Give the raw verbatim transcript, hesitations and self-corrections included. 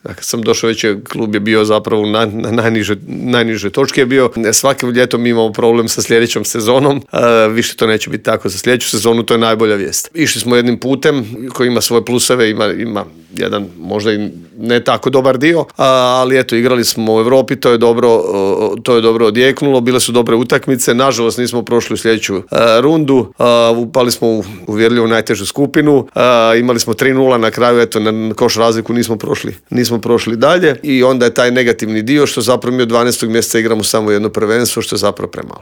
Kad sam došao već je klub je bio zapravo na, na najniže, najniže točke je bio. Svake ljeto mi imamo problem sa sljedećom sezonom. A, više to neće biti tako za sljedeću sezonu, to je najbolja vijest. Išli smo jednim putem koji ima svoje pluseve, ima, ima jedan možda i ne tako dobar dio, a, ali eto, igrali smo u Europi, to je dobro, to je dobro odjeknulo, bile su dobre utakmice, nažalost nismo prošli u sljedeću a, rundu, a, upali smo u uvjerljivo najtežu skupinu, a, imali smo tri nula na kraju, eto, na koš razliku nismo prošli, nismo prošli dalje i onda je taj negativni dio što zapravo mi od dvanaestog mjeseca igramo samo jedno prvenstvo, što je zapravo premalo.